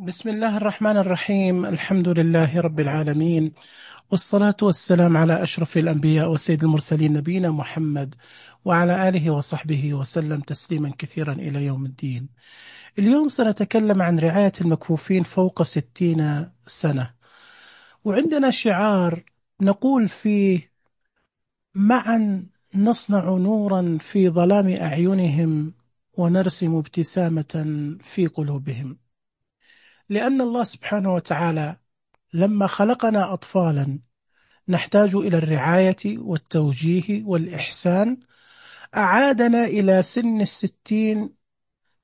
بسم الله الرحمن الرحيم. الحمد لله رب العالمين، والصلاة والسلام على أشرف الأنبياء وسيد المرسلين نبينا محمد وعلى آله وصحبه وسلم تسليما كثيرا إلى يوم الدين. اليوم سنتكلم عن رعاية المكفوفين فوق 60 سنة، وعندنا شعار نقول فيه: معا نصنع نورا في ظلام أعينهم ونرسم ابتسامة في قلوبهم. لأن الله سبحانه وتعالى لما خلقنا أطفالا نحتاج إلى الرعاية والتوجيه والإحسان، أعادنا إلى سن 60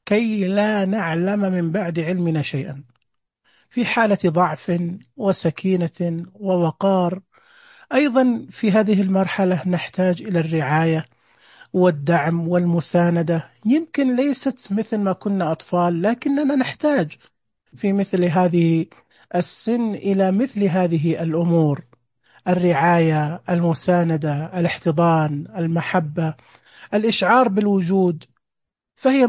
كي لا نعلم من بعد علمنا شيئا، في حالة ضعف وسكينة ووقار. أيضا في هذه المرحلة نحتاج إلى الرعاية والدعم والمساندة، يمكن ليست مثل ما كنا أطفال، لكننا نحتاج في مثل هذه السن إلى مثل هذه الأمور: الرعاية، المساندة، الاحتضان، المحبة، الإشعار بالوجود. فهي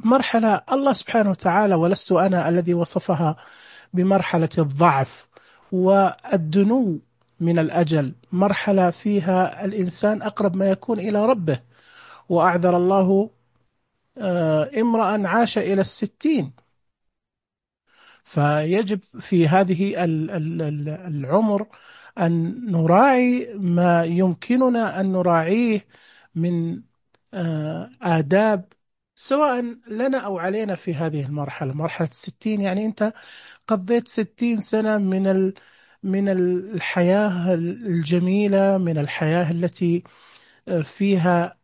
مرحلة الله سبحانه وتعالى، ولست أنا الذي وصفها بمرحلة الضعف والدنو من الأجل، مرحلة فيها الإنسان أقرب ما يكون إلى ربه. وأعذر الله امرأ عاش إلى 60. فيجب في هذه العمر أن نراعي ما يمكننا أن نراعيه من آداب، سواء لنا أو علينا في هذه المرحلة، مرحلة 60. يعني أنت قضيت 60 سنة من الحياة الجميلة، من الحياة التي فيها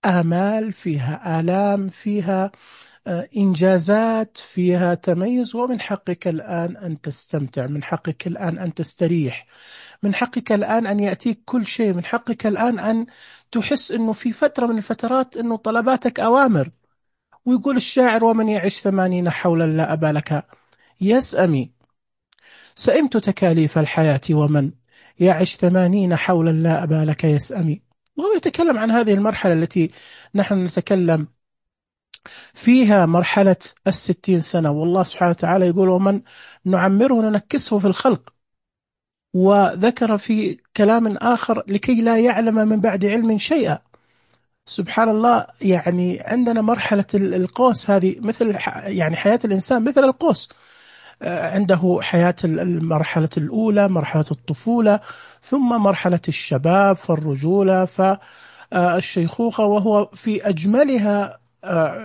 آمال، فيها آلام، فيها إنجازات، فيها تميز. ومن حقك الآن أن تستمتع، من حقك الآن أن تستريح، من حقك الآن أن يأتيك كل شيء، من حقك الآن أن تحس أنه في فترة من الفترات أنه طلباتك أوامر. ويقول الشاعر: ومن يعش 80 حولا لا أبا لك يسأمي. سئمت تكاليف الحياة ومن يعش 80 حولا لا أبا لك يسأمي. وهو يتكلم عن هذه المرحلة التي نحن نتكلم فيها، مرحلة 60 سنة. والله سبحانه وتعالى يقول: ومن نعمره ننكسه في الخلق. وذكر في كلام آخر: لكي لا يعلم من بعد علم شيئا. سبحان الله. يعني عندنا مرحلة القوس هذه مثل يعني حياة الإنسان مثل القوس. عنده حياة المرحلة الأولى، مرحلة الطفولة، ثم مرحلة الشباب فالرجولة فالشيخوخة، وهو في أجملها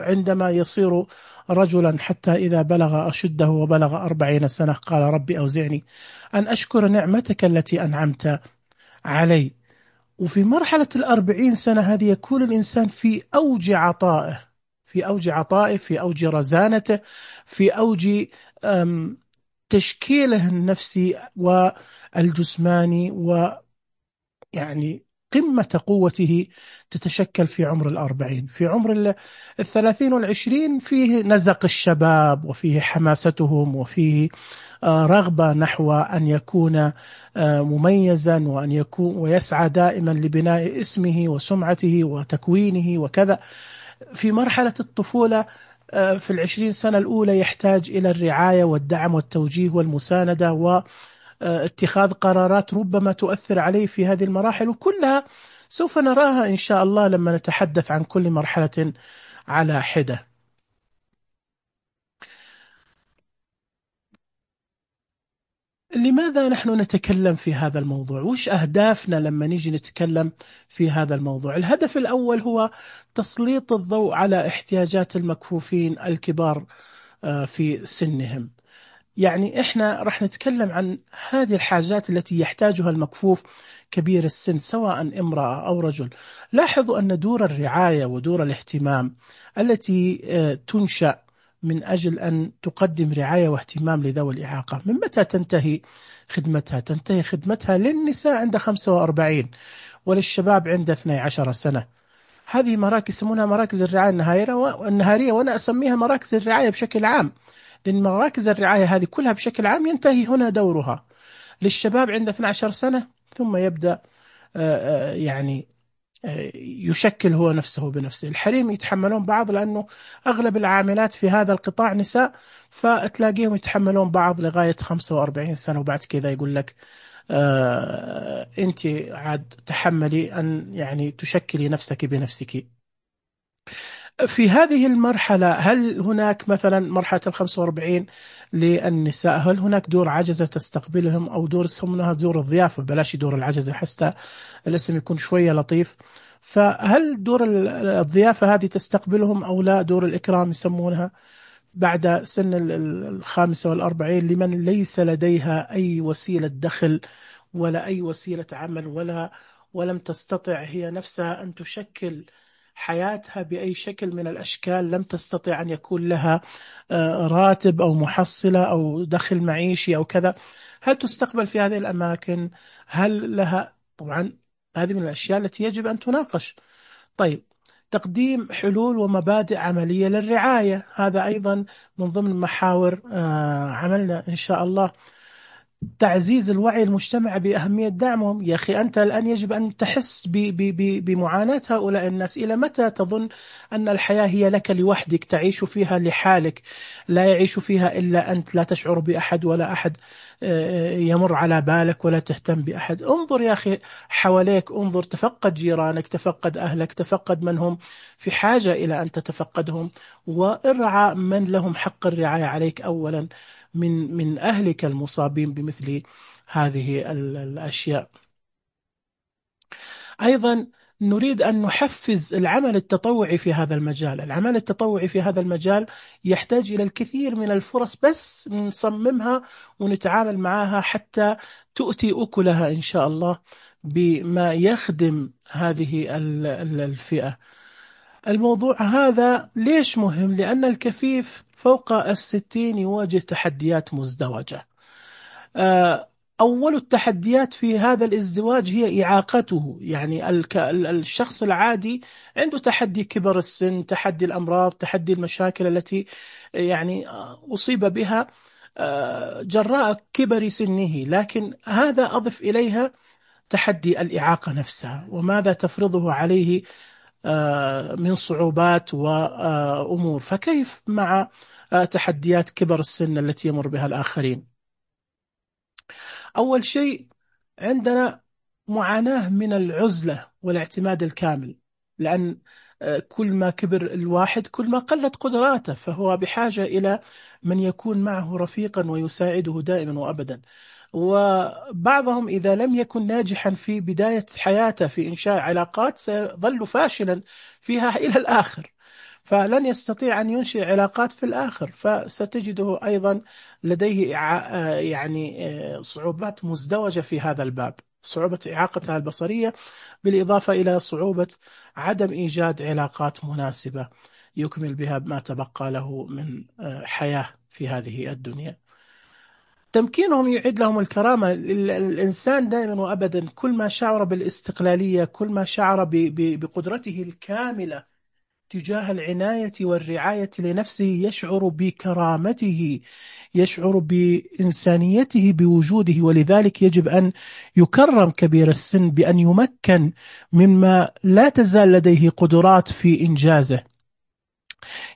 عندما يصير رجلا، حتى إذا بلغ أشده وبلغ 40 سنة قال: ربي أوزعني أن أشكر نعمتك التي أنعمت علي. وفي مرحلة 40 سنة هذه يكون الإنسان في أوج عطائه، في أوج عطائه، في أوج رزانته، في أوج تشكيله النفسي والجسماني، ويعني قمة قوته تتشكل في عمر 40. في عمر 30 و20 فيه نزق الشباب، وفيه حماستهم، وفيه رغبة نحو أن يكون مميزا، وأن يكون ويسعى دائما لبناء اسمه وسمعته وتكوينه وكذا. في مرحلة الطفولة في 20 سنة الأولى يحتاج إلى الرعاية والدعم والتوجيه والمساندة واتخاذ قرارات ربما تؤثر عليه في هذه المراحل، وكلها سوف نراها إن شاء الله لما نتحدث عن كل مرحلة على حدة. لماذا نحن نتكلم في هذا الموضوع؟ وش أهدافنا لما نيجي نتكلم في هذا الموضوع؟ الهدف الأول هو تسليط الضوء على احتياجات المكفوفين الكبار في سنهم. يعني إحنا راح نتكلم عن هذه الحاجات التي يحتاجها المكفوف كبير السن، سواء امرأة أو رجل. لاحظوا أن دور الرعاية ودور الاهتمام التي تنشأ من أجل أن تقدم رعاية واهتمام لذوي الإعاقة، من متى تنتهي خدمتها؟ تنتهي خدمتها للنساء عند 45، وللشباب عند 12 سنة. هذه مراكز يسمونها مراكز الرعاية النهارية، وأنا أسميها مراكز الرعاية بشكل عام، لأن مراكز الرعاية هذه كلها بشكل عام ينتهي هنا دورها. للشباب عند 12 سنة، ثم يبدأ يعني يشكل هو نفسه بنفسه. الحريم يتحملون بعض لأنه أغلب العاملات في هذا القطاع نساء، فتلاقيهم يتحملون بعض لغاية 45 سنة، وبعد كذا يقول لك أنت عاد تحملي أن يعني تشكلي نفسك بنفسك. في هذه المرحلة هل هناك مثلا مرحلة 45 للنساء، هل هناك دور عجزة تستقبلهم، أو دور يسمونها دور الضيافة، بلاش دور العجزة حتى الاسم يكون شوية لطيف؟ فهل دور الضيافة هذه تستقبلهم أو لا، دور الإكرام يسمونها، بعد سن الخامسة والأربعين، لمن ليس لديها أي وسيلة دخل ولا أي وسيلة عمل، ولم تستطع هي نفسها أن تشكل حياتها بأي شكل من الأشكال، لم تستطع أن يكون لها راتب أو محصلة أو دخل معيشي أو كذا، هل تستقبل في هذه الأماكن؟ هل لها؟ طبعا هذه من الأشياء التي يجب أن تناقش. طيب، تقديم حلول ومبادئ عملية للرعاية، هذا أيضا من ضمن محاور عملنا إن شاء الله. تعزيز الوعي المجتمع بأهمية دعمهم. يا أخي أنت الآن يجب أن تحس بمعاناة هؤلاء الناس. إلى متى تظن أن الحياة هي لك لوحدك، تعيش فيها لحالك، لا يعيش فيها إلا أنت، لا تشعر بأحد ولا أحد يمر على بالك ولا تهتم بأحد؟ انظر يا أخي حواليك، انظر، تفقد جيرانك، تفقد أهلك، تفقد من هم في حاجة إلى أن تتفقدهم، وارعى من لهم حق الرعاية عليك أولا من أهلك المصابين بمثل هذه الأشياء. أيضا نريد أن نحفز العمل التطوعي في هذا المجال. العمل التطوعي في هذا المجال يحتاج إلى الكثير من الفرص، بس نصممها ونتعامل معها حتى تؤتي أكلها إن شاء الله بما يخدم هذه الفئة. الموضوع هذا ليش مهم؟ لأن الكفيف فوق 60 يواجه تحديات مزدوجة. أول التحديات في هذا الازدواج هي إعاقته. يعني الشخص العادي عنده تحدي كبر السن، تحدي الأمراض، تحدي المشاكل التي يعني أصيب بها جراء كبر سنه، لكن هذا أضف إليها تحدي الإعاقة نفسها، وماذا تفرضه عليه من صعوبات وأمور. فكيف مع تحديات كبر السن التي يمر بها الآخرين؟ أول شيء عندنا معاناة من العزلة والاعتماد الكامل، لأن كل ما كبر الواحد كل ما قلت قدراته، فهو بحاجة إلى من يكون معه رفيقا ويساعده دائما وأبدا. وبعضهم إذا لم يكن ناجحا في بداية حياته في إنشاء علاقات سيظل فاشلا فيها إلى الآخر، فلن يستطيع أن ينشئ علاقات في الآخر، فستجده أيضا لديه يعني صعوبات مزدوجة في هذا الباب، صعوبة إعاقتها البصرية، بالإضافة إلى صعوبة عدم إيجاد علاقات مناسبة يكمل بها ما تبقى له من حياة في هذه الدنيا. تمكينهم يعيد لهم الكرامة. الإنسان دائما وأبدا كل ما شعر بالاستقلالية، كل ما شعر بقدرته الكاملة تجاه العناية والرعاية لنفسه، يشعر بكرامته، يشعر بإنسانيته بوجوده. ولذلك يجب أن يكرم كبير السن بأن يمكن مما لا تزال لديه قدرات في إنجازه.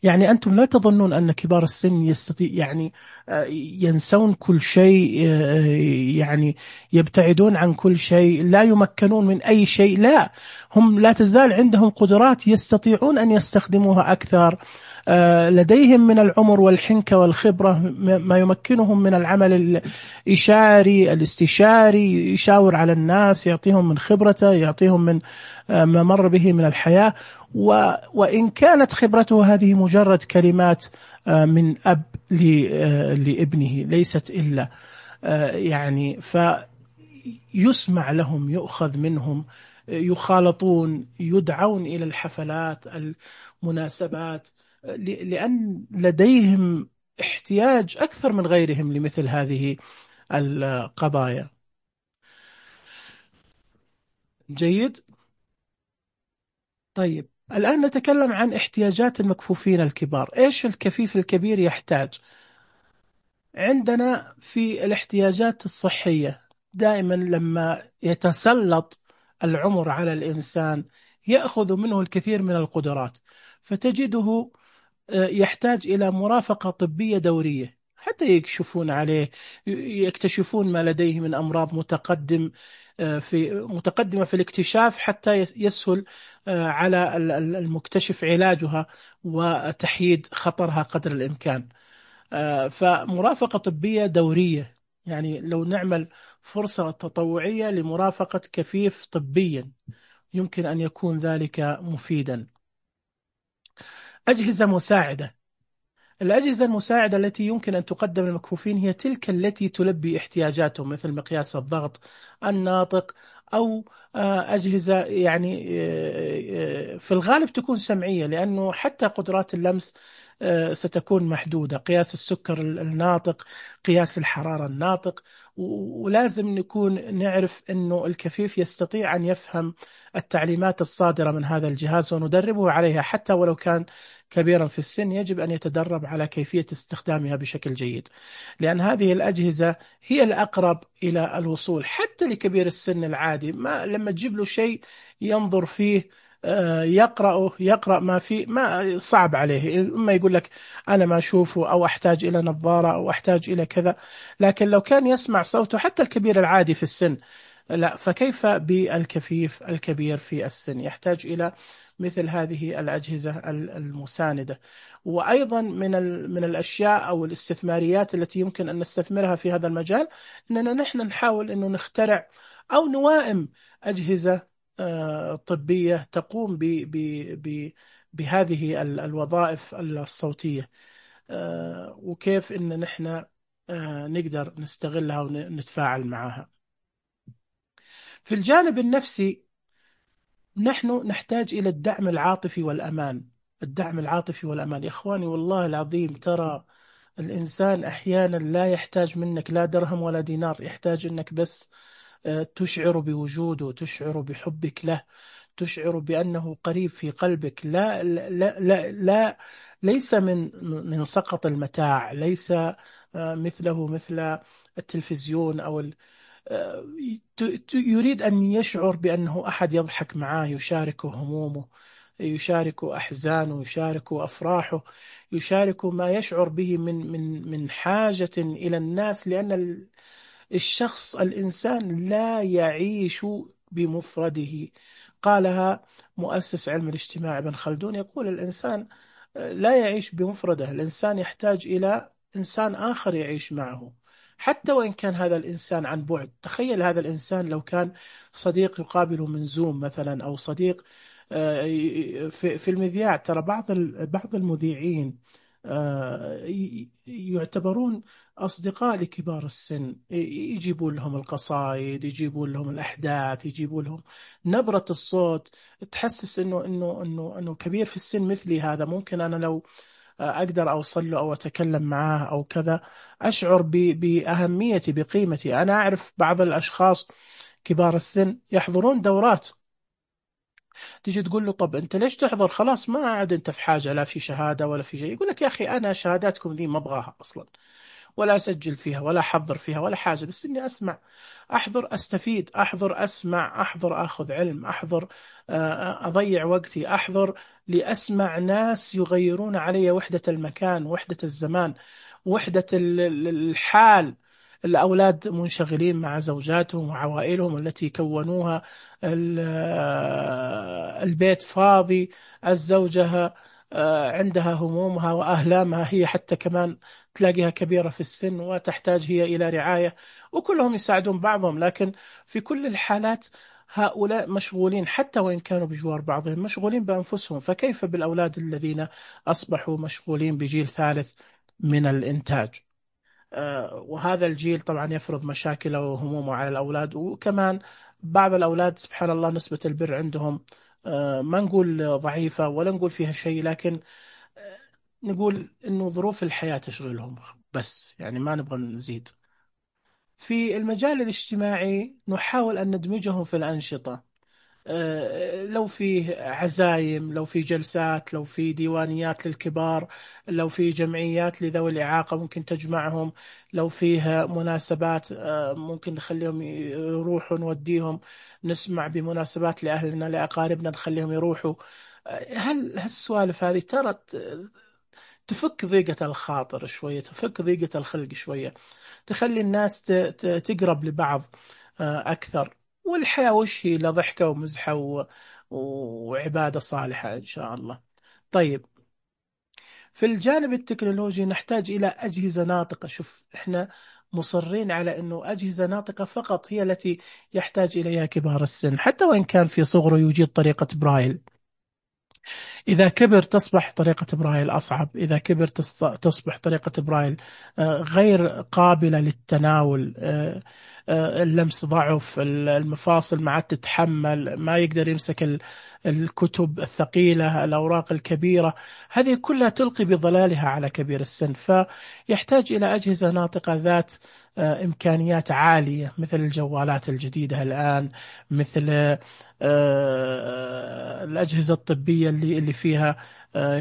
يعني أنتم لا تظنون أن كبار السن يستطيع يعني ينسون كل شيء، يعني يبتعدون عن كل شيء، لا يمكنون من أي شيء. لا، هم لا تزال عندهم قدرات يستطيعون أن يستخدموها أكثر. لديهم من العمر والحنكة والخبرة ما يمكنهم من العمل الإشاري الاستشاري، يشاور على الناس، يعطيهم من خبرته، يعطيهم من ما مر به من الحياة. وإن كانت خبرته هذه مجرد كلمات من أب لابنه، ليست إلا يعني، فيسمع لهم، يؤخذ منهم، يخالطون، يدعون إلى الحفلات، المناسبات، لأن لديهم احتياج أكثر من غيرهم لمثل هذه القضايا. جيد. طيب، الآن نتكلم عن احتياجات المكفوفين الكبار. إيش الكفيف الكبير يحتاج؟ عندنا في الاحتياجات الصحية، دائما لما يتسلط العمر على الإنسان يأخذ منه الكثير من القدرات، فتجده يحتاج إلى مرافقة طبية دورية حتى يكشفون عليه، يكتشفون ما لديه من أمراض متقدمة في الاكتشاف، حتى يسهل على المكتشف علاجها وتحييد خطرها قدر الإمكان. فمرافقة طبية دورية، يعني لو نعمل فرصة تطوعية لمرافقة كفيف طبيا يمكن أن يكون ذلك مفيدا. أجهزة مساعدة. الأجهزة المساعدة التي يمكن أن تقدم للمكفوفين هي تلك التي تلبي احتياجاتهم، مثل مقياس الضغط، الناطق، أو أجهزة يعني في الغالب تكون سمعية، لأنه حتى قدرات اللمس ستكون محدودة. قياس السكر الناطق، قياس الحرارة الناطق. ولازم نكون نعرف أنه الكفيف يستطيع أن يفهم التعليمات الصادرة من هذا الجهاز وندربه عليها، حتى ولو كان كبيرا في السن يجب أن يتدرب على كيفية استخدامها بشكل جيد، لأن هذه الأجهزة هي الأقرب إلى الوصول حتى لكبير السن العادي. ما لما تجيب له شيء ينظر فيه يقرأ ما فيه، ما صعب عليه، إما يقول لك أنا ما أشوفه، أو أحتاج إلى نظارة، أو أحتاج إلى كذا. لكن لو كان يسمع صوته حتى الكبير العادي في السن، لا، فكيف بالكفيف الكبير في السن؟ يحتاج إلى مثل هذه الأجهزة المساندة. وأيضا من الأشياء أو الاستثماريات التي يمكن أن نستثمرها في هذا المجال، أننا نحن نحاول أنه نخترع أو نوائم أجهزة طبية تقوم بهذه الوظائف الصوتية، وكيف أن نحن نقدر نستغلها ونتفاعل معها. في الجانب النفسي نحن نحتاج إلى الدعم العاطفي والأمان. الدعم العاطفي والأمان يا إخواني، والله العظيم ترى الإنسان أحيانا لا يحتاج منك لا درهم ولا دينار، يحتاج أنك بس تشعر بوجوده، تشعر بحبك له، تشعر بأنه قريب في قلبك. لا ليس من سقط المتاع، ليس مثله مثل التلفزيون أو يريد أن يشعر بأنه أحد يضحك معه، يشارك همومه، يشارك أحزانه، يشارك أفراحه، يشارك ما يشعر به من حاجة إلى الناس. لأن الشخص الإنسان لا يعيش بمفرده. قالها مؤسس علم الاجتماع ابن خلدون، يقول الإنسان لا يعيش بمفرده، الإنسان يحتاج إلى إنسان آخر يعيش معه، حتى وإن كان هذا الإنسان عن بعد. تخيل هذا الإنسان لو كان صديق يقابله من زوم مثلا، أو صديق في المذياع. ترى بعض المذيعين يعتبرون أصدقاء لكبار السن، يجيبون لهم القصائد، يجيبون لهم الأحداث، يجيبون لهم نبرة الصوت، تحسس إنه كبير في السن مثلي. هذا ممكن أنا لو أقدر أوصل له أو أتكلم معاه أو كذا، أشعر بأهميتي، بقيمتي. أنا أعرف بعض الأشخاص كبار السن يحضرون دورات، تيجي تقول له طب أنت ليش تحضر؟ خلاص ما عاد أنت في حاجة، لا في شهادة ولا في شيء. يقول لك يا أخي أنا شهاداتكم ذي ما أبغاها أصلا، ولا أسجل فيها ولا أحضر فيها ولا حاجة، بس إني أسمع، أحضر أستفيد، أحضر أسمع، أحضر أخذ علم، أحضر أضيع وقتي، أحضر لأسمع ناس يغيرون علي وحدة المكان، وحدة الزمان، وحدة الحال. الأولاد منشغلين مع زوجاتهم وعوائلهم التي كونوها، البيت فاضي، الزوجة عندها همومها وأهلامها، هي حتى كمان تلاقيها كبيرة في السن وتحتاج هي إلى رعاية، وكلهم يساعدون بعضهم. لكن في كل الحالات هؤلاء مشغولين، حتى وإن كانوا بجوار بعضهم مشغولين بأنفسهم، فكيف بالأولاد الذين أصبحوا مشغولين بجيل ثالث من الإنتاج؟ وهذا الجيل طبعا يفرض مشاكله وهمومه على الأولاد. وكمان بعض الأولاد سبحان الله نسبة البر عندهم ما نقول ضعيفة ولا نقول فيها شيء، لكن نقول إنه ظروف الحياة تشغلهم بس، يعني ما نبغى نزيد. في المجال الاجتماعي نحاول أن ندمجهم في الأنشطة. لو فيه عزايم، لو في جلسات، لو في ديوانيات للكبار، لو في جمعيات لذوي الإعاقة ممكن تجمعهم، لو فيه مناسبات ممكن نخليهم يروحوا نوديهم، نسمع بمناسبات لأهلنا لأقاربنا نخليهم يروحوا. هالسوالف هذه ترى تفك ضيقة الخاطر شوية، تفك ضيقة الخلق شوية، تخلي الناس تقرب لبعض أكثر. والحياة وش هي إلا ضحكة ومزحة وعبادة صالحة إن شاء الله. طيب، في الجانب التكنولوجي نحتاج إلى أجهزة ناطقة. شوف، إحنا مصرين على أنه أجهزة ناطقة فقط هي التي يحتاج إليها كبار السن، حتى وإن كان في صغره يجيد طريقة برايل. إذا كبر تصبح طريقة برايل أصعب، إذا كبر تصبح طريقة برايل غير قابلة للتناول. اللمس ضعف، المفاصل ما عاد تتحمل، ما يقدر يمسك الكتب الثقيلة، الأوراق الكبيرة. هذه كلها تلقي بظلالها على كبير السن، فيحتاج إلى أجهزة ناطقة ذات إمكانيات عالية، مثل الجوالات الجديدة الآن، مثل الأجهزة الطبية اللي فيها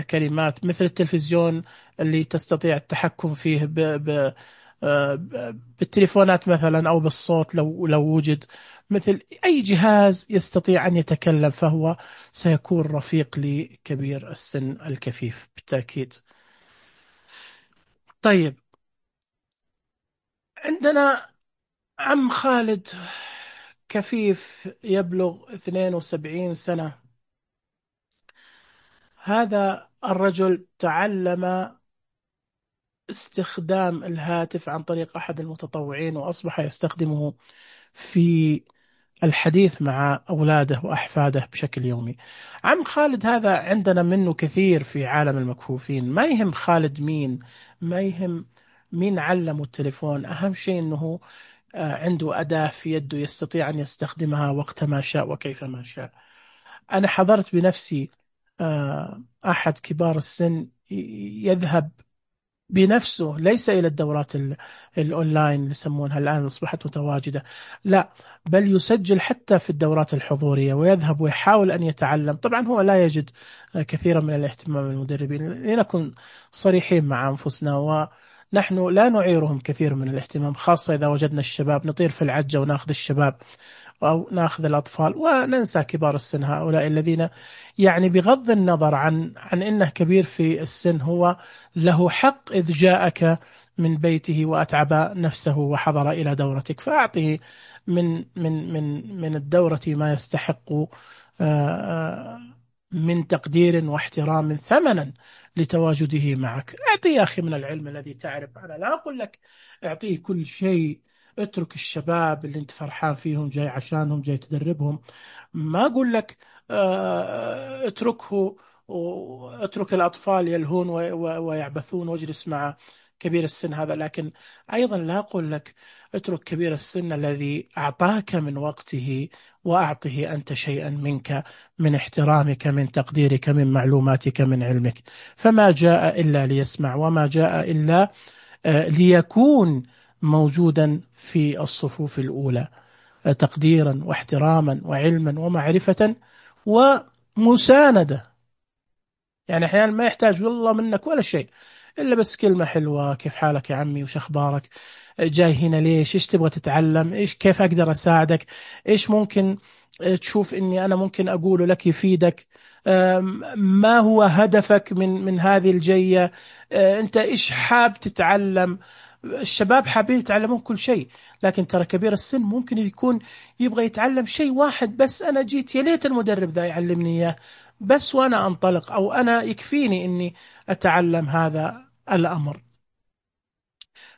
كلمات، مثل التلفزيون اللي تستطيع التحكم فيه بالتليفونات مثلا، أو بالصوت لو وجد. مثل أي جهاز يستطيع أن يتكلم، فهو سيكون رفيق لكبير السن الكفيف بالتأكيد. طيب، عندنا عم خالد كفيف يبلغ 72 سنة. هذا الرجل تعلم استخدام الهاتف عن طريق أحد المتطوعين، وأصبح يستخدمه في الحديث مع أولاده وأحفاده بشكل يومي. عم خالد هذا عندنا منه كثير في عالم المكفوفين. ما يهم خالد مين، ما يهم مين علمه التليفون، أهم شيء أنه عنده أداة في يده يستطيع أن يستخدمها وقت ما شاء وكيف ما شاء. أنا حضرت بنفسي أحد كبار السن يذهب بنفسه، ليس إلى الدورات الأونلاين اللي يسمونها الآن أصبحت متواجدة، لا، بل يسجل حتى في الدورات الحضورية ويذهب ويحاول أن يتعلم. طبعا هو لا يجد كثيرا من الاهتمام من المدربين، لنكن صريحين مع أنفسنا، ونحن لا نعيرهم كثير من الاهتمام، خاصة إذا وجدنا الشباب نطير في العجة وناخذ الشباب أو ناخذ الأطفال وننسى كبار السن، هؤلاء الذين يعني بغض النظر عن إنه كبير في السن، هو له حق إذ جاءك من بيته وأتعب نفسه وحضر إلى دورتك، فأعطه من الدورة ما يستحق من تقدير واحترام ثمنا لتواجده معك. أعطيه يا أخي من العلم الذي تعرف. أنا لا أقول لك أعطيه كل شيء، اترك الشباب اللي انت فرحان فيهم جاي عشانهم جاي تدربهم. ما أقول لك اتركه واترك الأطفال يلهون ويعبثون واجلس مع كبير السن هذا، لكن أيضا لا أقول لك اترك كبير السن الذي أعطاك من وقته وأعطه أنت شيئا منك، من احترامك، من تقديرك، من معلوماتك، من علمك. فما جاء إلا ليسمع، وما جاء إلا ليكون موجودا في الصفوف الأولى، تقديرا واحتراما وعلما ومعرفة ومساندة. يعني أحيانا ما يحتاج والله منك ولا شيء، إلا بس كلمة حلوة، كيف حالك يا عمي وش أخبارك، جاي هنا ليش، إيش تبغى تتعلم، إيش كيف أقدر أساعدك، إيش ممكن تشوف إني أنا ممكن أقوله لك يفيدك، ما هو هدفك من هذه الجية، أنت إيش حاب تتعلم. الشباب حابين يتعلمون كل شيء، لكن ترى كبير السن ممكن يكون يبغى يتعلم شيء واحد بس. أنا جيت يا ليت المدرب ذا يعلمني إياه بس، وأنا أنطلق، أو أنا يكفيني إني أتعلم هذا الأمر.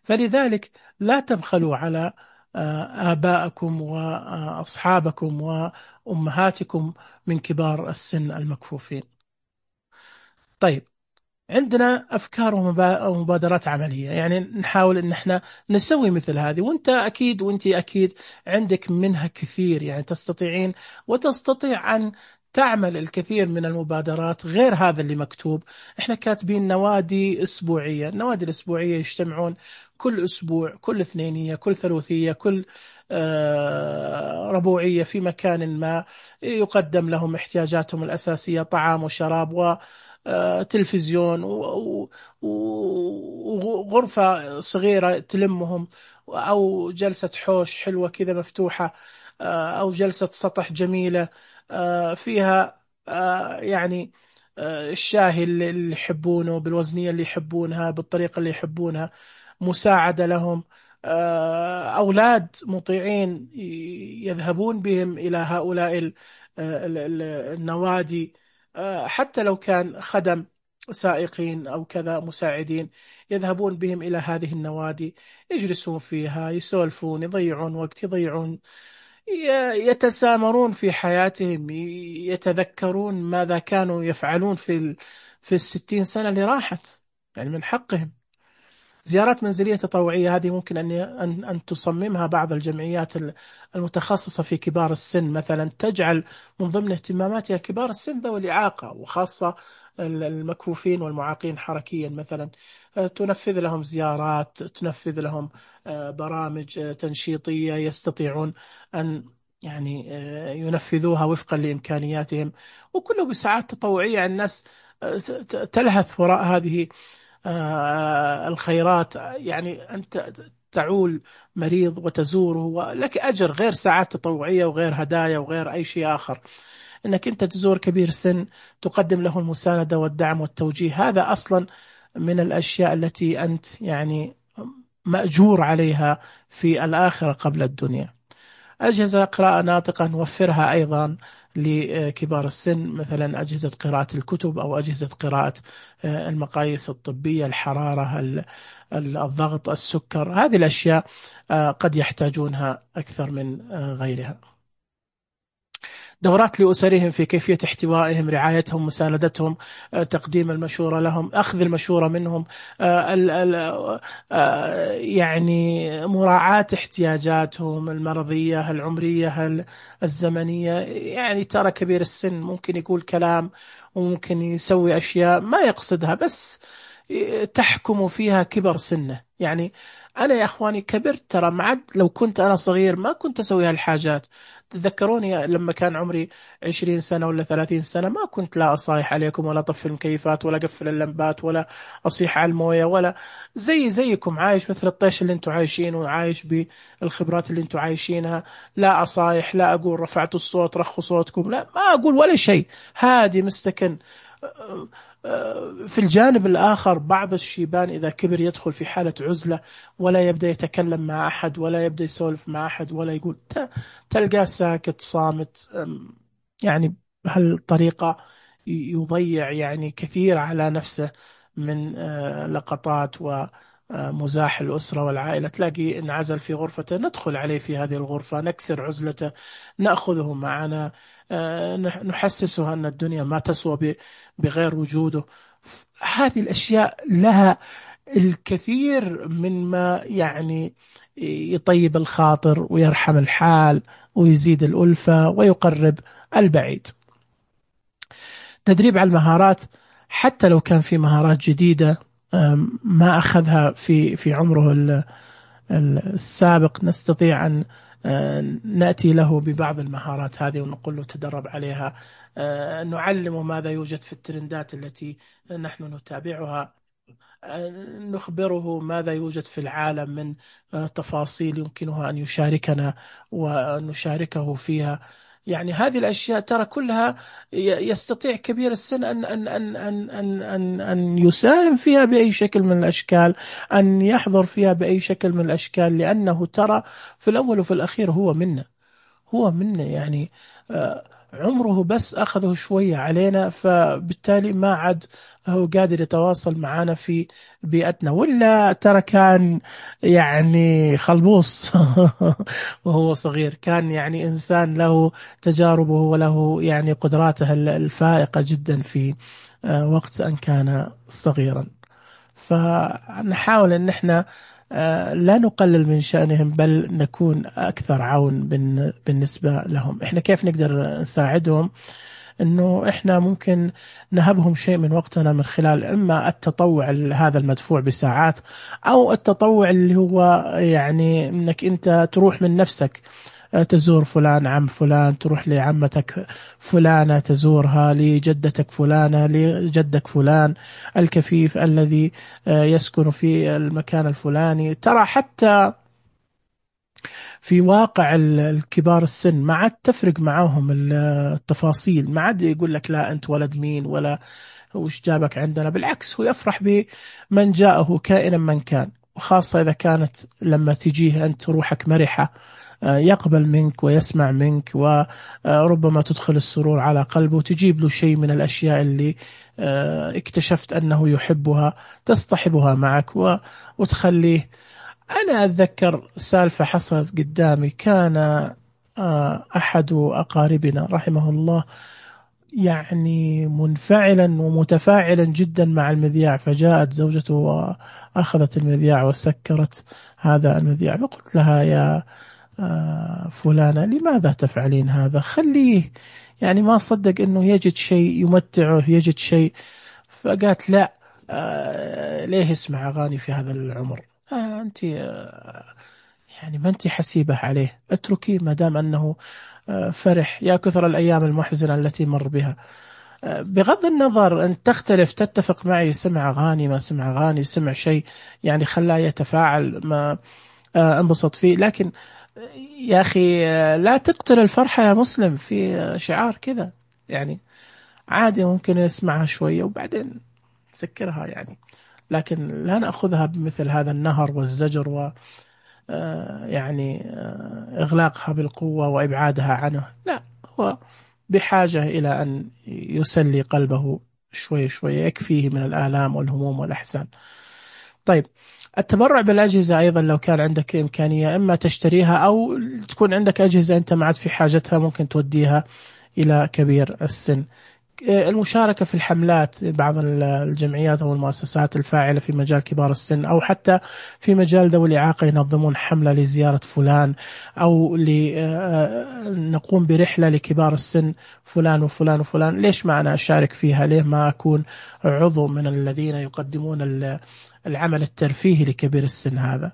فلذلك لا تبخلوا على آبائكم وأصحابكم وأمهاتكم من كبار السن المكفوفين. طيب، عندنا أفكار ومبادرات عملية، يعني نحاول أن احنا نسوي مثل هذه، وانت أكيد عندك منها كثير، يعني تستطيعين وتستطيع أن تعمل الكثير من المبادرات غير هذا اللي مكتوب. احنا كاتبين نوادي اسبوعية، النوادي الاسبوعية يجتمعون كل اسبوع، كل اثنينية، كل ثلاثية، كل ربوعية في مكان ما، يقدم لهم احتياجاتهم الأساسية، طعام وشراب وتلفزيون وغرفة صغيرة تلمهم، أو جلسة حوش حلوة كذا مفتوحة، أو جلسة سطح جميلة فيها يعني الشاهي اللي يحبونه بالوزنية اللي يحبونها بالطريقة اللي يحبونها، مساعدة لهم، أولاد مطيعين يذهبون بهم إلى هؤلاء النوادي، حتى لو كان خدم سائقين أو كذا مساعدين، يذهبون بهم إلى هذه النوادي، يجلسون فيها، يسولفون، يضيعون وقت، يضيعون، يتسامرون في حياتهم، يتذكرون ماذا كانوا يفعلون في 60 سنة اللي راحت. يعني من حقهم. زيارات منزلية تطوعية هذه ممكن أن تصممها بعض الجمعيات المتخصصة في كبار السن مثلا، تجعل من ضمن اهتماماتها كبار السن ذوي الإعاقة، وخاصة المكفوفين والمعاقين حركيا مثلا، تنفذ لهم زيارات، تنفذ لهم برامج تنشيطية يستطيعون أن يعني ينفذوها وفقا لإمكانياتهم، وكله بساعات تطوعية. الناس تلهث وراء هذه الخيرات. يعني أنت تعول مريض وتزوره ولك أجر، غير ساعات تطوعية وغير هدايا وغير أي شيء آخر. أنك أنت تزور كبير سن، تقدم له المساندة والدعم والتوجيه، هذا أصلا من الأشياء التي أنت يعني مأجور عليها في الآخرة قبل الدنيا. أجهزة قراءة ناطقة نوفرها أيضا لكبار السن، مثلا أجهزة قراءة الكتب أو أجهزة قراءة المقاييس الطبية، الحرارة، الضغط، السكر، هذه الأشياء قد يحتاجونها أكثر من غيرها. دورات لأسرهم في كيفية احتوائهم، رعايتهم، مساندتهم، تقديم المشورة لهم، أخذ المشورة منهم، يعني مراعاة احتياجاتهم المرضية، العمرية، الزمنية. يعني ترى كبير السن ممكن يقول كلام وممكن يسوي أشياء ما يقصدها، بس تحكم فيها كبر سنه. يعني أنا يا أخواني كبرت ترى، معد لو كنت أنا صغير ما كنت أسوي هالحاجات. تذكروني لما كان عمري 20 سنة ولا 30 سنة، ما كنت لا أصايح عليكم ولا أطفي المكيفات ولا أقفل اللمبات ولا أصيح على الموية، ولا زيكم عايش مثل الطيش اللي انتم عايشين، وعايش بالخبرات اللي انتم عايشينها. لا أصايح، لا أقول رفعتوا الصوت رخوا صوتكم، لا، ما أقول ولا شيء، هادي مستكن. في الجانب الآخر بعض الشيبان إذا كبر يدخل في حالة عزلة، ولا يبدأ يتكلم مع أحد، ولا يبدأ يسولف مع أحد، ولا يقول، تلقاه ساكت صامت. يعني بهالطريقة يضيع يعني كثير على نفسه من لقطات ومزاح الأسرة والعائلة. تلاقي انعزل في غرفته، ندخل عليه في هذه الغرفة، نكسر عزلته، نأخذه معنا، نحسسه أن الدنيا ما تسوى بغير وجوده. هذه الأشياء لها الكثير من ما يعني يطيب الخاطر ويرحم الحال ويزيد الألفة ويقرب البعيد. تدريب على المهارات، حتى لو كان في مهارات جديدة ما أخذها في عمره السابق، نستطيع أن نأتي له ببعض المهارات هذه ونقول له تدرب عليها، نعلمه ماذا يوجد في الترندات التي نحن نتابعها، نخبره ماذا يوجد في العالم من تفاصيل يمكنه أن يشاركنا ونشاركه فيها. يعني هذه الأشياء ترى كلها يستطيع كبير السن أن يساهم فيها بأي شكل من الأشكال، أن يحضر فيها بأي شكل من الأشكال، لأنه ترى في الأول وفي الأخير هو منا يعني عمره بس أخذه شوية علينا، فبالتالي ما عاد هو قادر يتواصل معنا في بيئتنا، ولا ترى كان يعني خلبوص وهو صغير، كان يعني إنسان له تجاربه وله يعني قدراته الفائقة جدا في وقت أن كان صغيرا. فنحاول أن احنا لا نقلل من شأنهم، بل نكون أكثر عون بالنسبة لهم. إحنا كيف نقدر نساعدهم؟ أنه إحنا ممكن نهبهم شيء من وقتنا من خلال إما التطوع هذا المدفوع بساعات، أو التطوع اللي هو يعني أنك أنت تروح من نفسك، تزور فلان عم فلان، تروح لعمتك فلانة تزورها، لجدتك فلانة، لجدك فلان الكفيف الذي يسكن في المكان الفلاني. ترى حتى في واقع الكبار السن ما عاد تفرق معاهم التفاصيل، ما عاد يقول لك لا أنت ولد مين ولا وش جابك عندنا. بالعكس، هو يفرح بمن جاءه كائنا من كان، وخاصة إذا كانت لما تجيه أنت روحك مرحة، يقبل منك ويسمع منك، وربما تدخل السرور على قلبه، وتجيب له شيء من الأشياء اللي اكتشفت أنه يحبها، تصطحبها معك وتخليه. أنا أتذكر سالفة حصلت قدامي. كان أحد أقاربنا رحمه الله يعني منفعلا ومتفاعلا جدا مع المذياع، فجاءت زوجته وأخذت المذياع وسكرت هذا المذياع، فقلت لها يا فلانة لماذا تفعلين هذا؟ خليه يعني ما صدق أنه يجد شيء يمتعه، يجد شيء. فقالت لا، ليه يسمع أغاني في هذا العمر؟ أنت يعني ما أنت حسيبة عليه، اتركيه ما دام أنه فرح. يا كثر الأيام المحزنة التي مر بها. بغض النظر أن تختلف تتفق معي، سمع أغاني ما سمع أغاني، سمع شيء يعني خلاه يتفاعل، ما انبسط فيه، لكن يا أخي لا تقتل الفرحة يا مسلم في شعار كذا. يعني عادي ممكن يسمعها شوية وبعدين سكرها يعني، لكن لا نأخذها بمثل هذا النهر والزجر و يعني إغلاقها بالقوة وإبعادها عنه. لا، هو بحاجة إلى أن يسلي قلبه شوي شوي، يكفيه من الآلام والهموم والأحزان. طيب، التبرع بالأجهزة أيضا لو كان عندك إمكانية، إما تشتريها أو تكون عندك أجهزة أنت ما عاد في حاجتها، ممكن توديها إلى كبير السن. المشاركة في الحملات، بعض الجمعيات أو المؤسسات الفاعلة في مجال كبار السن أو حتى في مجال ذوي الإعاقة ينظمون حملة لزيارة فلان، أو نقوم برحلة لكبار السن فلان وفلان وفلان. ليش ما أنا أشارك فيها؟ ليه ما أكون عضو من الذين يقدمون العمل الترفيهي لكبير السن هذا؟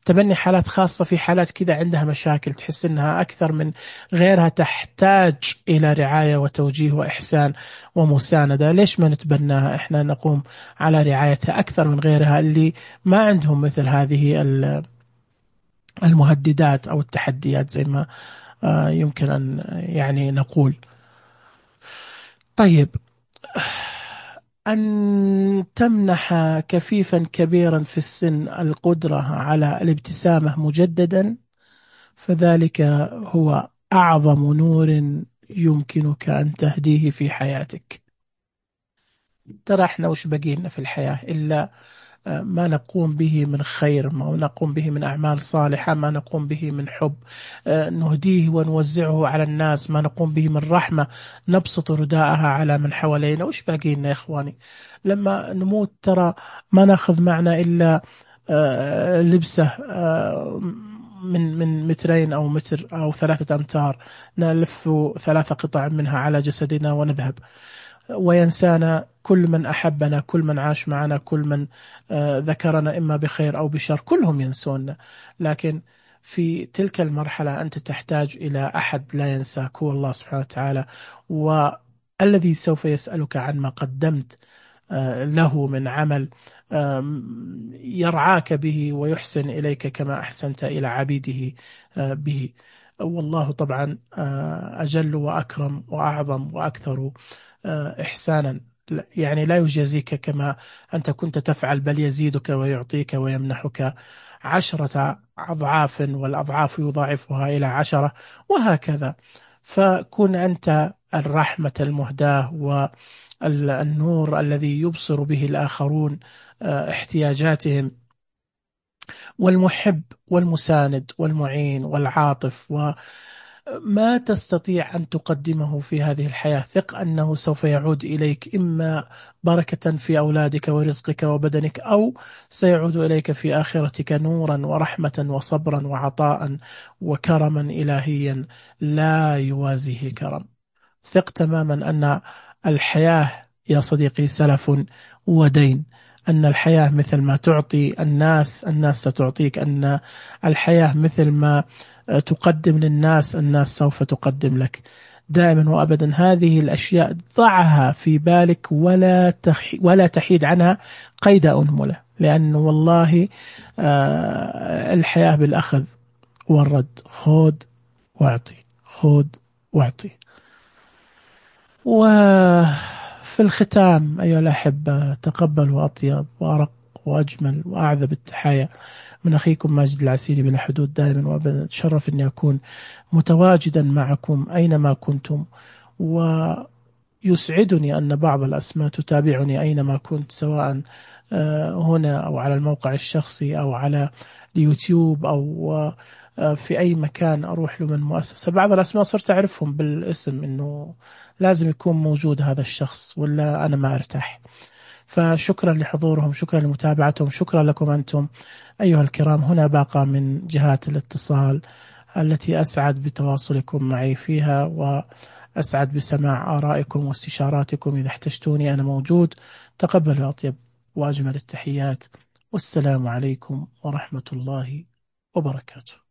تبني حالات خاصة، في حالات كذا عندها مشاكل تحس أنها أكثر من غيرها تحتاج إلى رعاية وتوجيه وإحسان ومساندة. ليش ما نتبناها إحنا، نقوم على رعايتها أكثر من غيرها اللي ما عندهم مثل هذه المهددات أو التحديات زي ما يمكن أن يعني نقول. طيب، أن تمنح كفيفا كبيرا في السن القدرة على الابتسامة مجددا، فذلك هو أعظم نور يمكنك أن تهديه في حياتك. ترى احنا وش بقينا في الحياة إلا ما نقوم به من خير، ما نقوم به من أعمال صالحة، ما نقوم به من حب نهديه ونوزعه على الناس، ما نقوم به من رحمة نبسط رداءها على من حوالينا. وش باقينا يا إخواني؟ لما نموت ترى ما ناخذ معنا إلا لبسه من مترين أو متر أو 3 أمتار، نلف 3 قطع منها على جسدنا ونذهب، وينسانا كل من أحبنا، كل من عاش معنا، كل من ذكرنا إما بخير أو بشر، كلهم ينسونا. لكن في تلك المرحلة أنت تحتاج إلى أحد لا ينساك، هو الله سبحانه وتعالى، والذي سوف يسألك عن ما قدمت له من عمل يرعاك به ويحسن إليك كما أحسنت إلى عبيده به. والله طبعا أجل وأكرم وأعظم وأكثر إحسانا، يعني لا يجازيك كما أنت كنت تفعل، بل يزيدك ويعطيك ويمنحك 10 أضعاف، والأضعاف يضاعفها إلى 10، وهكذا. فكن أنت الرحمة المهداة والنور الذي يبصر به الآخرون احتياجاتهم، والمحب والمساند والمعين والعاطف، وما تستطيع أن تقدمه في هذه الحياة ثق أنه سوف يعود إليك، إما بركة في أولادك ورزقك وبدنك، أو سيعود إليك في آخرتك نورا ورحمة وصبرا وعطاء وكرما إلهيا لا يوازيه كرم. ثق تماما أن الحياة يا صديقي سلف ودين، أن الحياة مثل ما تعطي الناس الناس ستعطيك، أن الحياة مثل ما تقدم للناس الناس سوف تقدم لك. دائما وأبدا هذه الأشياء ضعها في بالك ولا تحيد عنها قيد أنملة، لأن والله الحياة بالأخذ والرد، خذ واعطي، خذ واعطي. وفي الختام أيها الأحبة، تقبلوا أطيب وأرق وأجمل وأعذب التحايا من أخيكم ماجد العسيري بلا حدود. دائما وأبدا تشرف أني أكون متواجدا معكم أينما كنتم، ويسعدني أن بعض الأسماء تتابعني أينما كنت، سواء هنا أو على الموقع الشخصي أو على اليوتيوب أو في أي مكان أروح له من مؤسسة. بعض الأسماء صرت أعرفهم بالاسم، إنه لازم يكون موجود هذا الشخص ولا أنا ما أرتاح. فشكرا لحضورهم، شكرا لمتابعتهم، شكرا لكم أنتم أيها الكرام. هنا باقة من جهات الاتصال التي أسعد بتواصلكم معي فيها، وأسعد بسماع آرائكم واستشاراتكم. إذا احتجتوني أنا موجود. تقبلوا أطيب وأجمل التحيات، والسلام عليكم ورحمة الله وبركاته.